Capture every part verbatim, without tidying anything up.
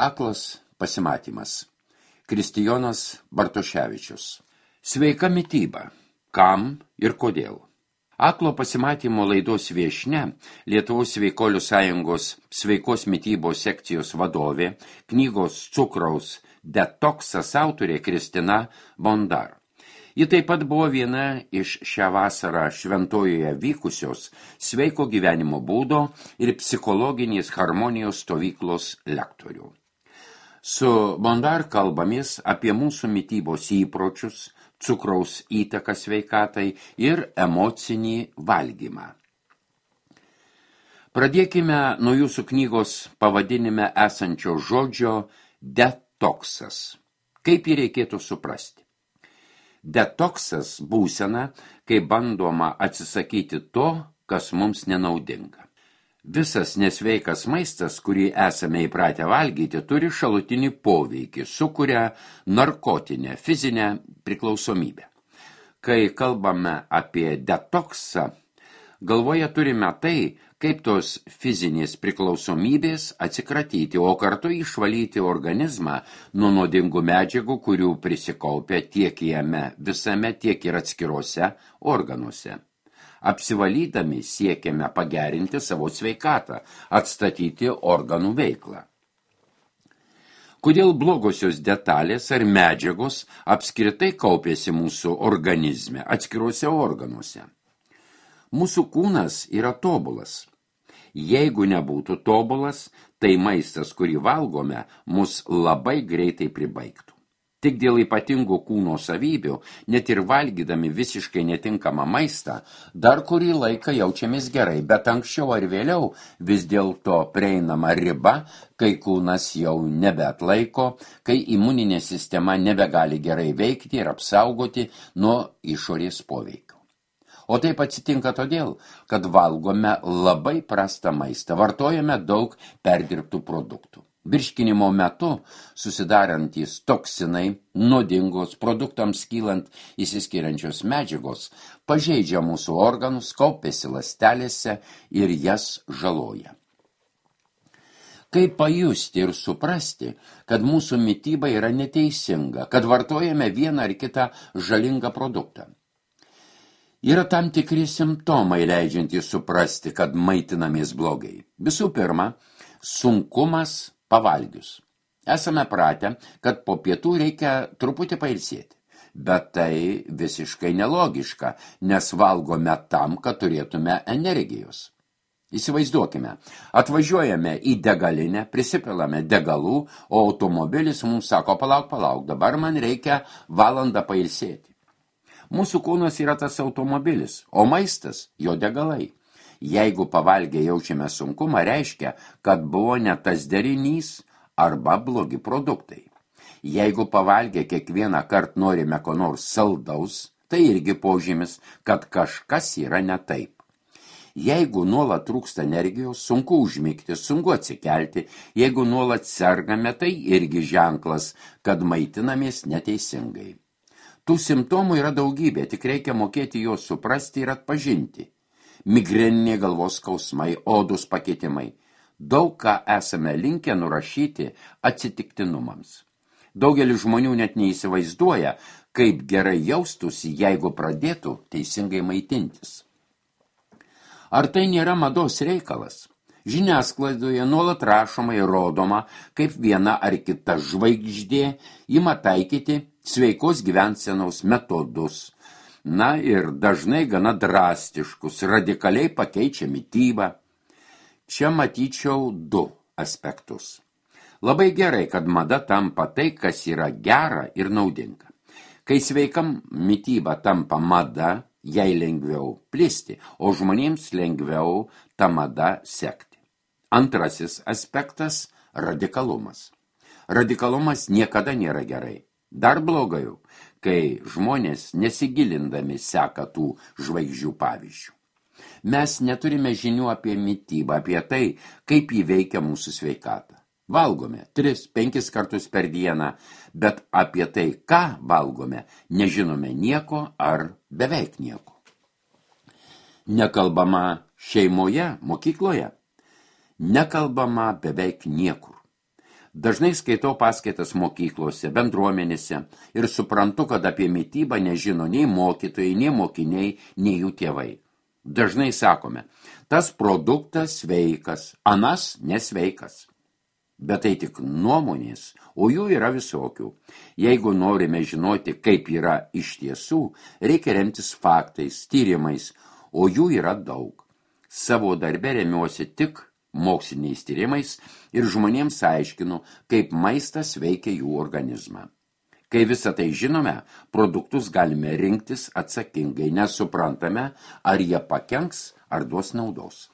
Aklas pasimatymas. Kristijonas Bartoševičius. Sveika mityba. Kam ir kodėl? Aklo pasimatymo laidos viešnia, Lietuvos sveikolių sąjungos sveikos mitybos sekcijos vadovė, knygos Cukraus detoksas autorė Kristina Bondar. Ji taip pat buvo viena iš šią vasarą Šventojoje vykusios sveiko gyvenimo būdo ir psichologinės harmonijos stovyklos lektorių. Su Bondar kalbamės apie mūsų mitybos įpročius, cukraus įtaką sveikatai ir emocinį valgymą. Pradėkime nuo jūsų knygos pavadinime esančio žodžio detoksas. Kaip jį reikėtų suprasti? Detoksas būsena, kai bandoma atsisakyti to, kas mums nenaudinga. Visas nesveikas maistas, kurį esame įpratę valgyti, turi šalutinį poveikį, sukuria narkotinę, fizinę priklausomybę. Kai kalbame apie detoksą, galvoje turime tai, kaip tos fizinės priklausomybės atsikratyti, o kartu išvalyti organizmą nuo nuodingų medžiagų, kurių prisikaupia tiek jame visame, tiek ir atskiruose organuose. Apsivalydami siekiame pagerinti savo sveikatą, atstatyti organų veiklą. Kodėl blogosios detalės ar medžiagos apskritai kaupėsi mūsų organizme, atskiruose organuose? Mūsų kūnas yra tobulas. Jeigu nebūtų tobulas, tai maistas, kurį valgome, mus labai greitai pribaigtų. Tik dėl ypatingų kūno savybių, net ir valgydami visiškai netinkamą maistą, dar kurį laiką jaučiamės gerai, bet anksčiau ar vėliau vis dėlto prieinama riba, kai kūnas jau nebeatlaiko, kai imuninė sistema nebegali gerai veikti ir apsaugoti nuo išorės poveikio. O taip atsitinka todėl, kad valgome labai prastą maistą, vartojame daug perdirbtų produktų. Virškinimo metu susidarantys toksinai, nuodingos, produktams kylant įsiskiriančios medžiagos, pažeidžia mūsų organus, kaupiasi ląstelėse ir jas žaloja. Kaip pajusti ir suprasti, kad mūsų mityba yra neteisinga, kad vartojame vieną ar kitą žalingą produktą? Yra tam tikri simptomai leidžiantys suprasti, kad maitinamės blogai. Visų pirma, sunkumas pavalgius. Esame pratę, kad po pietų reikia truputį pailsėti. Bet tai visiškai nelogiška, nes valgome tam, kad turėtume energijos. Įsivaizduokime, atvažiuojame į degalinę, prisipilame degalų, o automobilis mums sako, palauk, palauk, dabar man reikia valandą pailsėti. Mūsų kūnas yra tas automobilis, o maistas jo degalai. Jeigu pavalgę jaučiame sunkumą, reiškia, kad buvo ne tas derinys arba blogi produktai. Jeigu pavalgę kiekvieną kartą norime ko nors saldaus, tai irgi požymis, kad kažkas yra ne taip. Jeigu nuolat trūksta energijos, sunku užmigti, sunku atsikelti, jeigu nuolat sergame, tai irgi ženklas, kad maitinamės neteisingai. Tų simptomų yra daugybė, tik reikia mokėti juos suprasti ir atpažinti. Migreninė galvos skausmai, odus pakitimai. Daug ką esame linkę nurašyti atsitiktinumams. Daugelis žmonių net neįsivaizduoja, kaip gerai jaustųsi, jeigu pradėtų teisingai maitintis. Ar tai nėra mados reikalas? Žiniasklaidoje nuolat rašoma ir rodoma, kaip viena ar kita žvaigždė ima taikyti sveikos gyvensenos metodus. Na ir dažnai gana drastiškus, radikaliai pakeičia mitybą. Čia matyčiau du aspektus. Labai gerai, kad mada tampa tai, kas yra gera ir naudinga. Kai sveikam mityba tampa mada, jai lengviau plisti, o žmonėms lengviau tą madą sekti. Antrasis aspektas – radikalumas. Radikalumas niekada nėra gerai. Dar blogiau, kai žmonės nesigilindami seka tų žvaigždžių pavyzdžių. Mes neturime žinių apie mitybą, apie tai, kaip jį veikia mūsų sveikatą. Valgome tris, penkis kartus per dieną, bet apie tai, ką valgome, nežinome nieko ar beveik nieko. Nekalbama šeimoje, mokykloje. Nekalbama beveik niekur. Dažnai skaitau paskaitas mokyklose, bendruomenėse ir suprantu, kad apie mitybą nežino nei mokytojai, nei mokiniai, nei jų tėvai. Dažnai sakome, tas produktas sveikas, anas nesveikas. Bet tai tik nuomonės, o jų yra visokių. Jeigu norime žinoti, kaip yra iš tiesų, reikia remtis faktais, tyrimais, o jų yra daug. Savo darbe remiuosi tik moksliniais tyrimais ir žmonėms aiškinu, kaip maistas veikia jų organizmą. Kai visą tai žinome, produktus galime rinktis atsakingai, nes suprantame, ar jie pakenks, ar duos naudos.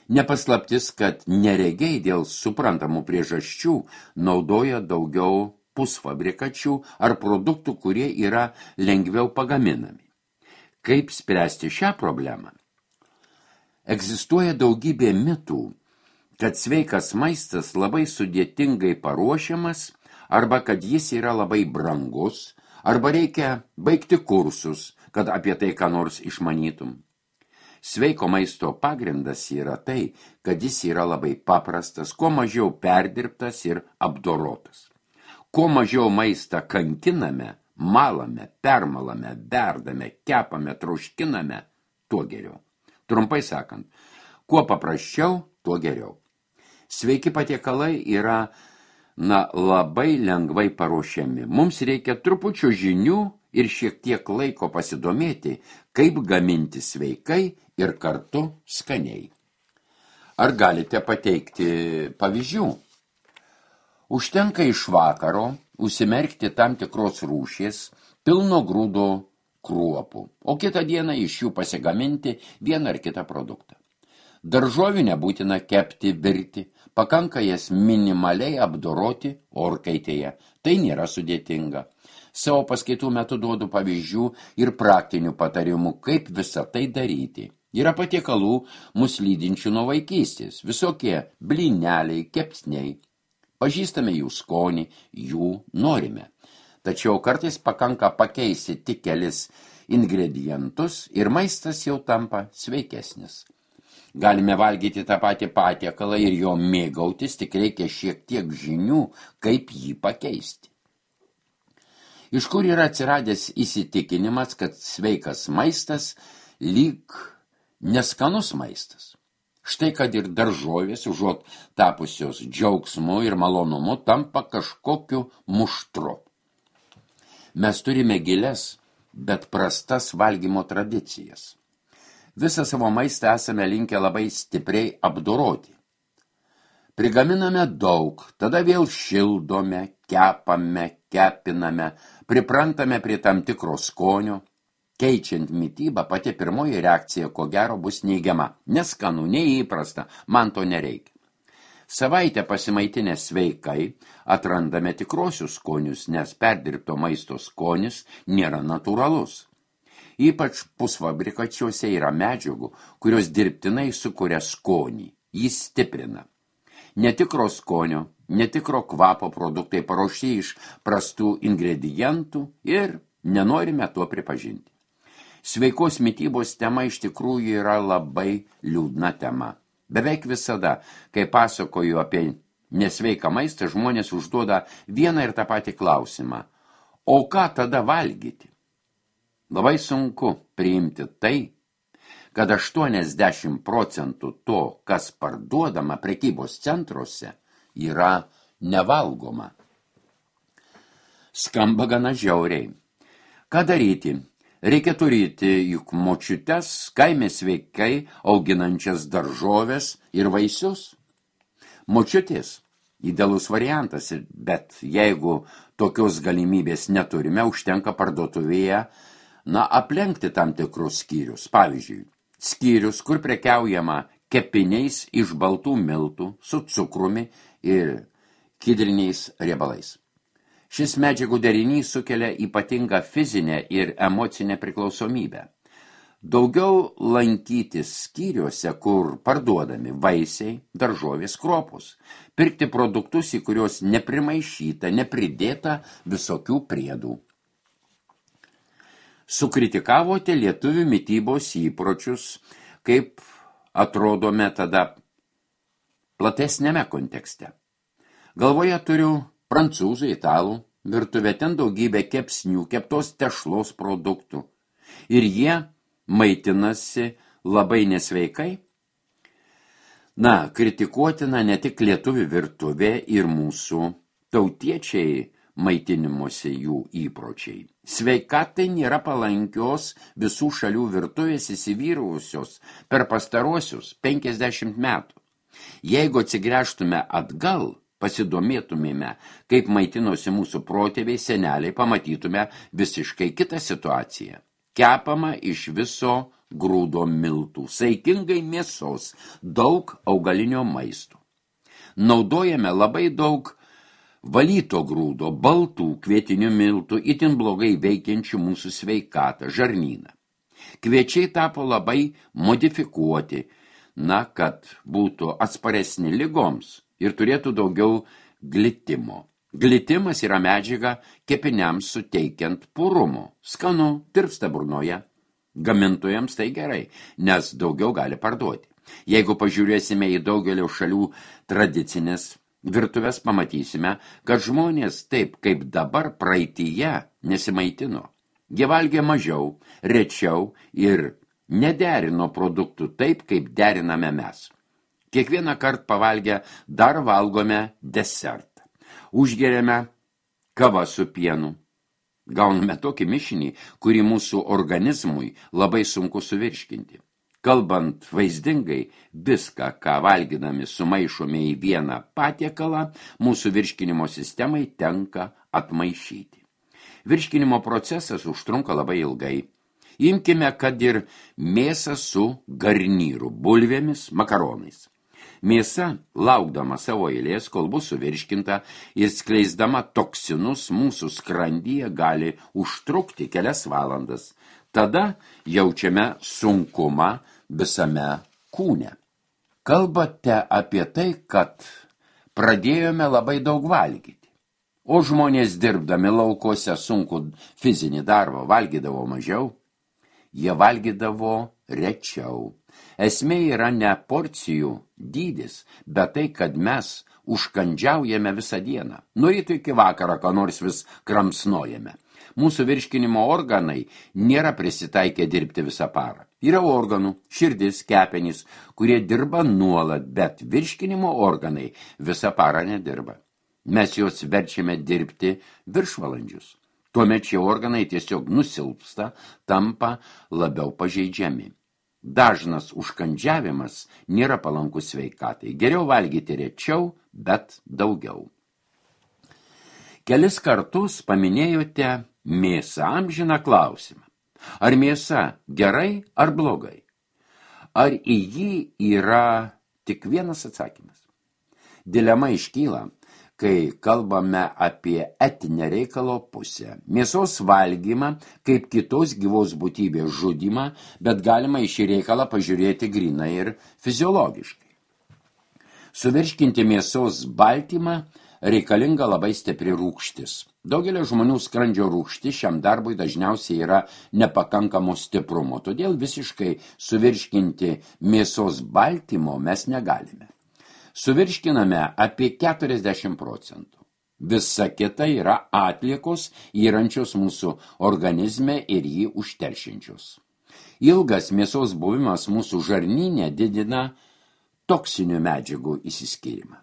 Nepaslaptis, kad neregiai dėl suprantamų priežasčių naudoja daugiau pusfabrikačių ar produktų, kurie yra lengviau pagaminami. Kaip spręsti šią problemą? Egzistuoja daugybė mitų, kad sveikas maistas labai sudėtingai paruošiamas, arba kad jis yra labai brangus, arba reikia baigti kursus, kad apie tai ką nors išmanytum. Sveiko maisto pagrindas yra tai, kad jis yra labai paprastas, kuo mažiau perdirbtas ir apdorotas. Kuo mažiau maistą kankiname, malame, permalame, verdame, kepame, troškiname, tuo geriau. Trumpai sakant, kuo paprasčiau, tuo geriau. Sveiki patiekalai yra na, labai lengvai paruošiami. Mums reikia trupučio žinių ir šiek tiek laiko pasidomėti, kaip gaminti sveikai ir kartu skaniai. Ar galite pateikti pavyzdžių? Užtenka iš vakaro užsimerkti tam tikros rūšies pilno grūdo kruopų, o kitą dieną iš jų pasigaminti vieną ar kitą produktą. Daržovių nebūtina kepti, virti, pakanka jas minimaliai apdoroti orkaitėje. Tai nėra sudėtinga. Savo paskaitų metu duodu pavyzdžių ir praktinių patarimų, kaip visą tai daryti. Yra patiekalų mus lydinčių nuo vaikystės, visokie blyneliai, kepsniai. Pažįstame jų skonį, jų norime. Tačiau kartais pakanka pakeisti tik kelis ingredientus ir maistas jau tampa sveikesnis. Galime valgyti tą patį patiekalą ir jo mėgautis, tik reikia šiek tiek žinių, kaip jį pakeisti. Iš kur yra atsiradęs įsitikinimas, kad sveikas maistas lyg neskanus maistas? Štai kad ir daržovės, užuot tapusios džiaugsmu ir malonumu, tampa kažkokiu muštru. Mes turime gilias, bet prastas valgymo tradicijas. Visą savo maistą esame linkę labai stipriai apdoroti. Prigaminame daug, tada vėl šildome, kepame, kepiname, priprantame prie tam tikro skonio. Keičiant mitybą, pati pirmoji reakcija, ko gero, bus neigiama. Neskanu, neįprasta, man to nereikia. Savaitę pasimaitinę sveikai atrandame tikrosius skonius, nes perdirbto maisto skonis nėra natūralus. Ypač pusfabrikačiuose yra medžiagų, kurios dirbtinai sukuria skonį, jį stiprina. Netikro skonio, netikro kvapo produktai paruošti iš prastų ingredientų ir nenorime tuo pripažinti. Sveikos mitybos tema iš tikrųjų yra labai liūdna tema. Beveik visada, kai pasakoju apie nesveiką maistą, žmonės užduoda vieną ir tą patį klausimą. O ką tada valgyti? Labai sunku priimti tai, kad aštuoniasdešimt procentų to, kas parduodama prekybos centruose, yra nevalgoma. Skamba gana žiauriai. Ką daryti? Reikia turėti juk močiutes, kaime sveikai auginančias daržoves ir vaisius. Močiutės idealus variantas, bet jeigu tokios galimybės neturime, užtenka parduotuvėje na, aplenkti tam tikrus skyrius. Pavyzdžiui, skyrius, kur prekiaujama kepiniais iš baltų miltų su cukrumi ir kidriniais riebalais. Šis medžiagų derinys sukelia ypatingą fizinę ir emocinę priklausomybę. Daugiau lankytis skyriuose, kur parduodami vaisiai, daržovės, kruopos. Pirkti produktus, į kuriuos neprimaišyta, nepridėta visokių priedų. Sukritikavote lietuvių mitybos įpročius, kaip atrodome tada platesnėme kontekste. Galvoje turiu prancūzų, italų virtuvę, ten daugybė kepsnių, keptos tešlos produktų. Ir jie maitinasi labai nesveikai. Na, kritikuotina ne tik lietuvių virtuvė ir mūsų tautiečiai maitinimuose jų įpročiai. Sveikatai nėra palankios visų šalių virtuvės įsivyravusios per pastaruosius penkiasdešimt metų. Jeigu atsigręžtume atgal, pasidomėtumėme, kaip maitinosi mūsų protėviai seneliai, pamatytume visiškai kitą situaciją. Kepama iš viso grūdo miltų, saikingai mėsos, daug augalinio maisto. Naudojame labai daug valyto grūdo, baltų kvietinių miltų, itin blogai veikiančių mūsų sveikatą, žarnyną. Kviečiai tapo labai modifikuoti, na, kad būtų atsparesni ligoms ir turėtų daugiau glitimo. Glitimas yra medžiaga kepiniams suteikiant purumo. Skanu, tirpsta burnoje. Gamintojams tai gerai, nes daugiau gali parduoti. Jeigu pažiūrėsime į daugelio šalių tradicinės virtuvės, pamatysime, kad žmonės taip kaip dabar praeityje nesimaitino. Jie valgė mažiau, rečiau ir nederino produktų taip, kaip deriname mes. Kiekvieną kartą pavalgę dar valgome desertą. Užgeriame kavą su pienu. Gauname tokį mišinį, kurį mūsų organizmui labai sunku suvirškinti. Kalbant vaizdingai, viską, ką valgydami sumaišome į vieną patiekalą, mūsų virškinimo sistemai tenka atmaišyti. Virškinimo procesas užtrunka labai ilgai. Imkime, kad ir mėsą su garnyru, bulvėmis, makaronais. Mėsa, laukdama savo eilės, kol bus suvirškinta ir skleisdama toksinus mūsų skrandyje, gali užtrukti kelias valandas. Tada jaučiame sunkumą visame kūne. Kalbate apie tai, kad pradėjome labai daug valgyti, o žmonės dirbdami laukuose sunku fizinį darbą valgydavo mažiau, jie valgydavo rečiau. Esmė yra ne porcijų dydis, bet tai, kad mes užkandžiaujame visą dieną. Nuo ryto iki vakaro, ką nors vis kramsnojame. Mūsų virškinimo organai nėra prisitaikę dirbti visą parą. Yra organų, širdis, kepenys, kurie dirba nuolat, bet virškinimo organai visą parą nedirba. Mes juos verčiame dirbti viršvalandžius. Tuomet šie organai tiesiog nusilpsta, tampa labiau pažeidžiami. Dažnas užkandžiavimas nėra palankus sveikatai. Geriau valgyti rečiau, bet daugiau. Kelis kartus paminėjote mėsą, amžiną klausimą. Ar mėsa gerai ar blogai? Ar į jį yra tik vienas atsakymas? Dilema iškyla, kai kalbame apie etinę reikalo pusę. Mėsos valgymą kaip kitos gyvos būtybės žudymą, bet galima į šį reikalą pažiūrėti grinai ir fiziologiškai. Suvirškinti mėsos baltymą reikalinga labai stipri rūgštis. Daugelio žmonių skrandžio rūgštis šiam darbui dažniausiai yra nepakankamo stiprumo, todėl visiškai suvirškinti mėsos baltymo mes negalime. Suvirškiname apie keturiasdešimt procentų. Visa kita yra atliekos įrančios mūsų organizme ir jį užteršinčios. Ilgas mėsos buvimas mūsų žarnyne didina toksinių medžiagų įsiskyrimą.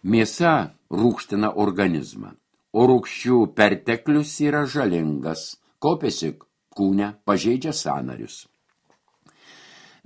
Mėsa rūgština organizmą, o rūgščių perteklius yra žalingas, kaupiasi kūne, pažeidžia sąnarius.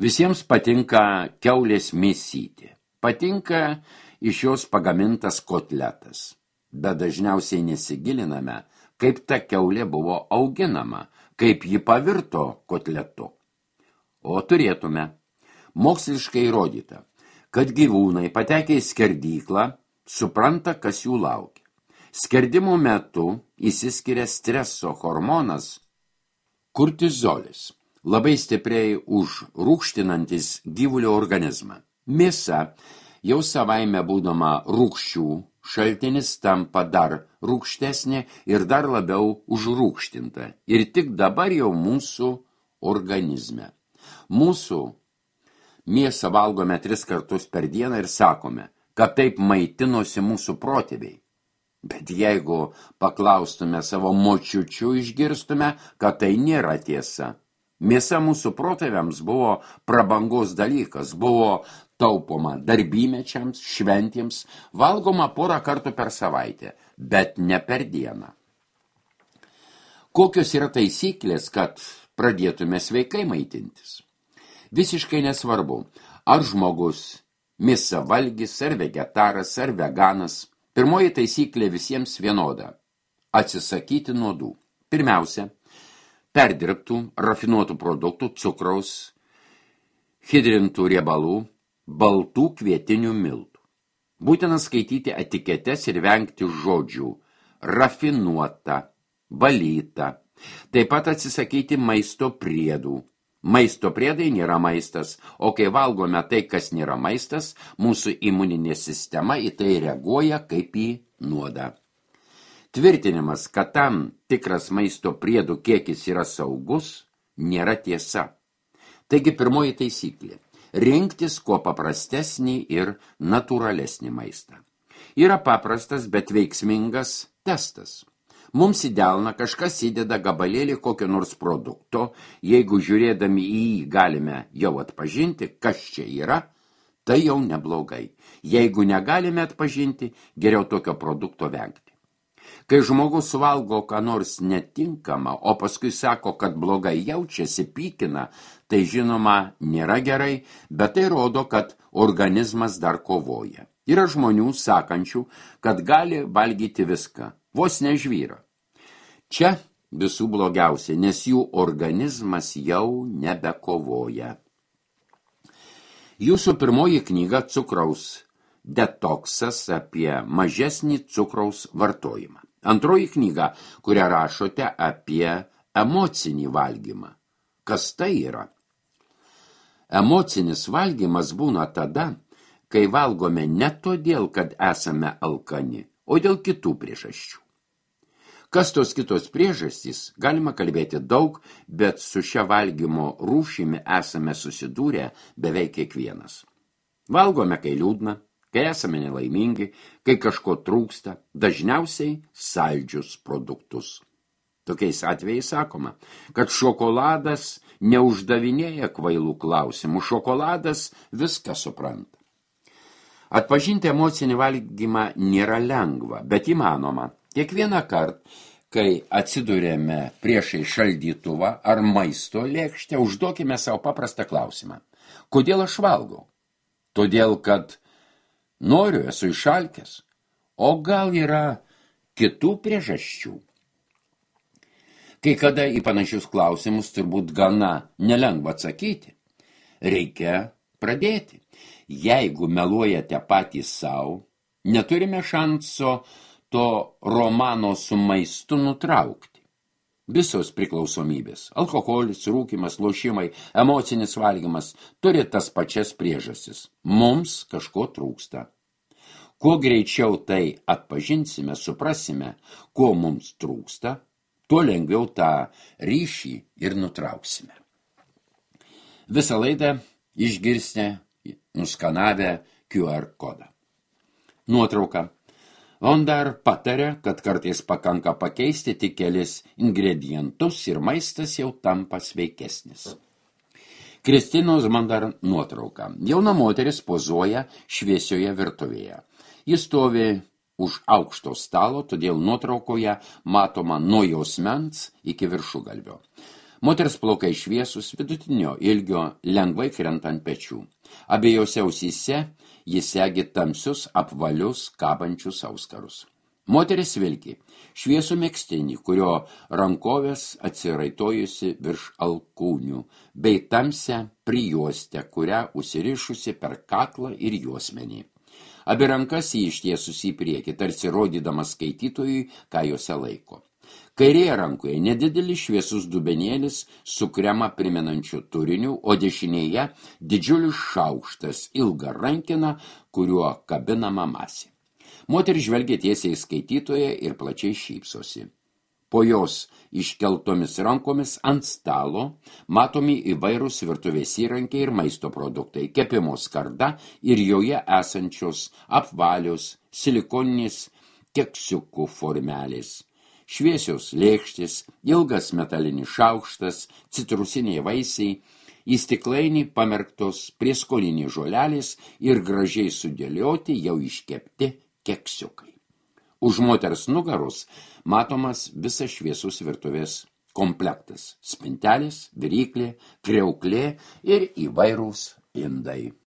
Visiems patinka kiaulės mėsytė. Patinka iš jos pagamintas kotletas, bet dažniausiai nesigiliname, kaip ta kiaulė buvo auginama, kaip ji pavirto kotletu. O turėtume. Moksliškai įrodyta, kad gyvūnai patekę į skerdyklą supranta, kas jų laukia. Skerdimo metu išsiskiria streso hormonas kortizolis, labai stipriai užrūgštinantis gyvulio organizmą. Mėsa, jau savaime būdama rūgščių šaltinis, tampa dar rūgštesnė ir dar labiau užrūgštinta. Ir tik dabar jau mūsų organizme. Mūsų mėsą valgome tris kartus per dieną ir sakome, kad taip maitinosi mūsų protėviai. Bet jeigu paklaustume savo močiučių, išgirstume, kad tai nėra tiesa. Mėsa mūsų protėviams buvo prabangos dalykas, buvo taupoma darbymečiams, šventėms, valgoma porą kartų per savaitę, bet ne per dieną. Kokios yra taisyklės, kad pradėtume sveikai maitintis? Visiškai nesvarbu, ar žmogus mėsą valgys, ar vegetaras, ar veganas. Pirmoji taisyklė visiems vienoda – atsisakyti nuodų. Pirmiausia, perdirbtų, rafinuotų produktų, cukraus, hidrintų riebalų, baltų kvietinių miltų. Būtina skaityti etiketes ir vengti žodžių rafinuota, valyta. Taip pat atsisakyti maisto priedų. Maisto priedai nėra maistas, o kai valgome tai, kas nėra maistas, mūsų imuninė sistema į tai reaguoja kaip į nuodą. Tvirtinimas, kad tam tikras maisto priedų kiekis yra saugus, nėra tiesa. Taigi pirmoji taisyklė – rinktis kuo paprastesnį ir natūralesnį maistą. Yra paprastas, bet veiksmingas testas. Mums į delną kažkas įdeda gabalėlį kokio nors produkto, jeigu žiūrėdami į jį galime jau atpažinti, kas čia yra, tai jau neblogai. Jeigu negalime atpažinti, geriau tokio produkto vengti. Kai žmogus suvalgo ką nors netinkama, o paskui sako, kad blogai jaučiasi, pykina, tai žinoma nėra gerai, bet tai rodo, kad organizmas dar kovoja. Yra žmonių sakančių, kad gali valgyti viską, vos nežvyra. Čia visų blogiausia, nes jų organizmas jau nebekovoja. Jūsų pirmoji knyga cukraus detoksas apie mažesnį cukraus vartojimą. Antroji knyga, kurią rašote apie emocinį valgymą. Kas tai yra? Emocinis valgymas būna tada, kai valgome ne todėl, kad esame alkani, o dėl kitų priežasčių. Kas tos kitos priežastys, galima kalbėti daug, bet su šia valgymo rūšimi esame susidūrę beveik kiekvienas. Valgome, kai liūdna, kai esame nelaimingi, kai kažko trūksta, dažniausiai saldžius produktus. Tokiais atvejais sakoma, kad šokoladas neuždavinėja kvailų klausimų, šokoladas viską supranta. Atpažinti emocinį valgymą nėra lengva, bet įmanoma. Kiekvieną kartą, kai atsidurėme priešai šaldytuvą ar maisto lėkštę, užduokime savo paprastą klausimą. Kodėl aš valgau? Todėl, kad noriu, esu išalkęs, o gal yra kitų priežasčių? Kai kada į panašius klausimus turbūt gana nelengva atsakyti. Reikia pradėti. Jeigu meluojate patys savo, neturime šanso to romano su maistu nutraukti. Visos priklausomybės – alkoholis, rūkymas, lošimai, emocinis valgymas – turi tas pačias priežastis. Mums kažko trūksta. Kuo greičiau tai atpažinsime, suprasime, ko mums trūksta, tuo lengviau tą ryšį ir nutrauksime. Visą laidą išgirsite nuskanavę Q R kodą. Nuotrauka. On dar patarė, kad kartais pakanka pakeisti tik kelis ingredientus ir maistas jau tampa sveikesnis. Kristinos Mandar nuotrauka. Jauna moteris pozuoja šviesioje virtuvėje. Jis stovi už aukšto stalo, todėl nuotraukoje matoma nuo jausmens iki viršugalvio. Moters plaukai šviesus, vidutinio ilgio, lengvai krenta ant pečių. Abiejose ausyse jis segi tamsius, apvalius, kabančius auskarus. Moteris vilki šviesų megztinį, kurio rankovės atsiraitojusi virš alkūnių, bei tamsią prijuostę, kurią užsirišusi per kaklą ir juosmenį. Abi rankas jį ištiesusi į priekį, tarsi rodydamas skaitytojui, ką jose laiko. Kairėje rankoje nedidelis šviesus dubenėlis su kremą primenančiu turiniu, o dešinėje didžiulis šaukštas, ilga rankina, kuriuo kabinama masė. Moteris žvelgia tiesiai į skaitytoją ir plačiai šypsosi. Po jos iškeltomis rankomis ant stalo matomi įvairūs virtuvės įrankiai ir maisto produktai, kepimo skarda ir joje esančios apvalios silikoninės keksiukų formelės. Šviesios lėkštės, ilgas metalinis šaukštas, citrusiniai vaisiai, į stiklainį pamerktos prieskoniniai žolelės ir gražiai sudėlioti jau iškepti keksiukai. Už moters nugaros matomas visas šviesus virtuvės komplektas – spintelės, viryklė, kriauklė ir įvairūs indai.